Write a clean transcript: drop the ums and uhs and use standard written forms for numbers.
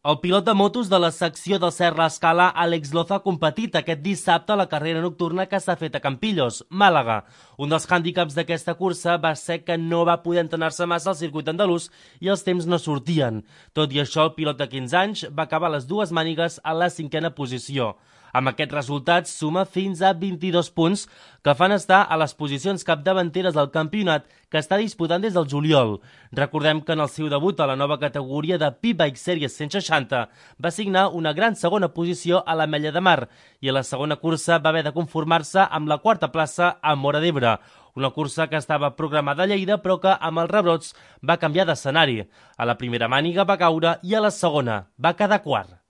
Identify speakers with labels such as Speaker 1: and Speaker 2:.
Speaker 1: El pilot de motos de la secció del Serra Escala, Àlex Loza, ha competit aquest dissabte a la carrera nocturna que s'ha fet a Campillos, Màlaga. Un dels hàndicaps d'aquesta cursa va ser que no va poder entrenar-se massa al circuit andalús i els temps no sortien. Tot i això, el pilot de 15 anys va acabar les dues mànigues a la 5a posició. Amb aquest resultat suma fins a 22 punts que fan estar a les posicions capdavanteres del campionat que està disputant des del juliol. Recordem que en el seu debut a la nova categoria de P-Bike Series 160 va signar una gran segona posició a l'Ametlla de Mar i a la segona cursa va haver de conformar-se amb la quarta plaça a Móra d'Ebre, una cursa que estava programada a Lleida però que amb els rebrots va canviar d'escenari. A la primera màniga va caure i a la segona va quedar quart.